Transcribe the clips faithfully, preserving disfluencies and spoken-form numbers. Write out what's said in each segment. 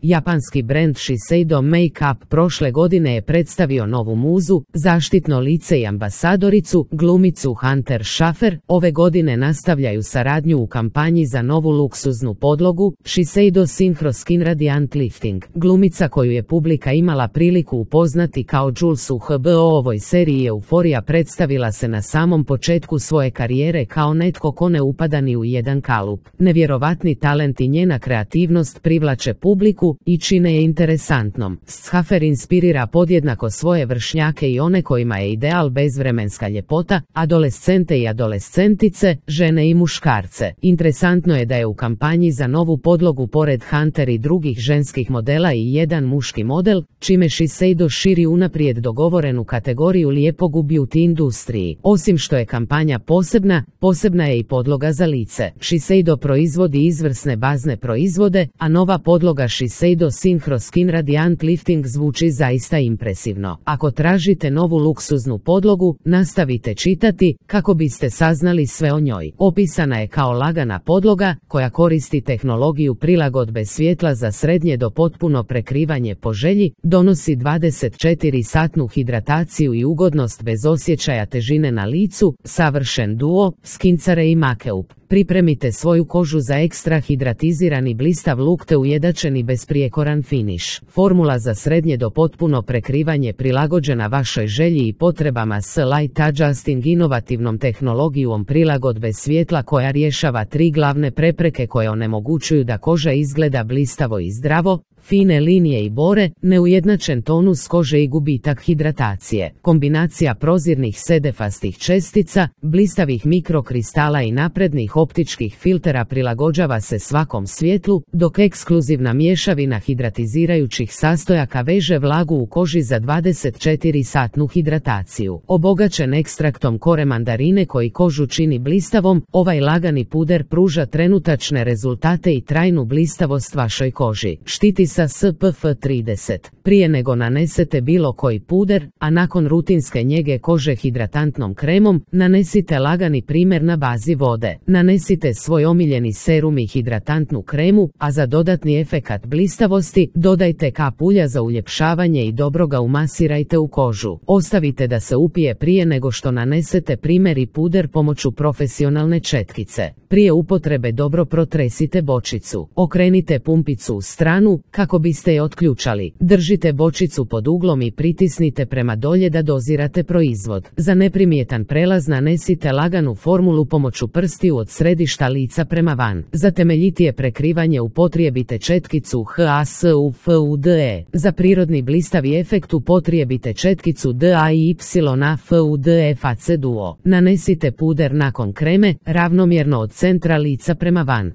Japanski brend Shiseido Make-up prošle godine je predstavio novu muzu, zaštitno lice i ambasadoricu, glumicu Hunter Schafer. Ove godine nastavljaju saradnju u kampanji za novu luksuznu podlogu Shiseido Synchro Skin Radiant Lifting. Glumica koju je publika imala priliku upoznati kao Jules u H B O ovoj seriji Euforija predstavila se na samom početku svoje karijere kao netko ko ne upada ni u jedan kalup. Nevjerovatni talent i njena kreativnost privlače publiku i čine je interesantnom. Schafer inspirira podjednako svoje vršnjake i one kojima je ideal bezvremenska ljepota, adolescente i adolescentice, žene i muškarce. Interesantno je da je u kampanji za novu podlogu pored Hunter i drugih ženskih modela i jedan muški model, čime Shiseido širi unaprijed dogovorenu kategoriju lijepog u beauty industriji. Osim što je kampanja posebna, posebna je i podloga za lice. Shiseido proizvodi izvrsne bazne proizvode, a nova podloga Shiseido Synchro Skin Radiant Lifting zvuči zaista impresivno. Ako tražite novu luksuznu podlogu, nastavite čitati kako biste saznali sve o njoj. Opisana je kao lagana podloga koja koristi tehnologiju prilagodbe svjetla za srednje do potpuno prekrivanje po želji, donosi dvadeset četiri satnu hidrataciju i ugodnost bez osjećaja težine na licu, savršen duo, skincare i makeup. Pripremite svoju kožu za ekstra hidratizirani blistav luk te ujednačeni besprijekoran finiš. Formula za srednje do potpuno prekrivanje prilagođena vašoj želji i potrebama s Light Adjusting inovativnom tehnologijom prilagodbe svjetla koja rješava tri glavne prepreke koje onemogućuju da koža izgleda blistavo i zdravo, fine linije i bore, neujednačen tonus kože i gubitak hidratacije. Kombinacija prozirnih sedefastih čestica, blistavih mikrokristala i naprednih optičkih filtera prilagođava se svakom svjetlu, dok ekskluzivna mješavina hidratizirajućih sastojaka veže vlagu u koži za dvadeset četiri satnu hidrataciju. Obogaćen ekstraktom kore mandarine koji kožu čini blistavom, ovaj lagani puder pruža trenutačne rezultate i trajnu blistavost vašoj koži. Štiti sa S P F trideset. Prije nego nanesete bilo koji puder, a nakon rutinske njege kože hidratantnom kremom, nanesite lagani primer na bazi vode. Nanesite svoj omiljeni serum i hidratantnu kremu, a za dodatni efekat blistavosti dodajte kap ulja za uljepšavanje i dobro ga umasirajte u kožu. Ostavite da se upije prije nego što nanesete primer i puder pomoću profesionalne četkice. Prije upotrebe dobro protresite bočicu. Okrenite pumpicu u stranu kako biste je otključali. Držite bočicu pod uglom i pritisnite prema dolje da dozirate proizvod. Za neprimjetan prelaz nanesite laganu formulu pomoću prstiju od središta lica prema van. Za temeljitije prekrivanje upotrijebite četkicu H A S U F U D E. Za prirodni blistavi efekt upotrijebite četkicu D A I Y A F U D F A C Duo. Nanesite puder nakon kreme, ravnomjerno od centra lica prema van.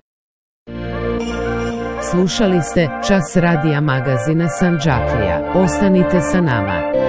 Slušali ste Čas radija magazina Sandžaklija. Ostanite sa nama.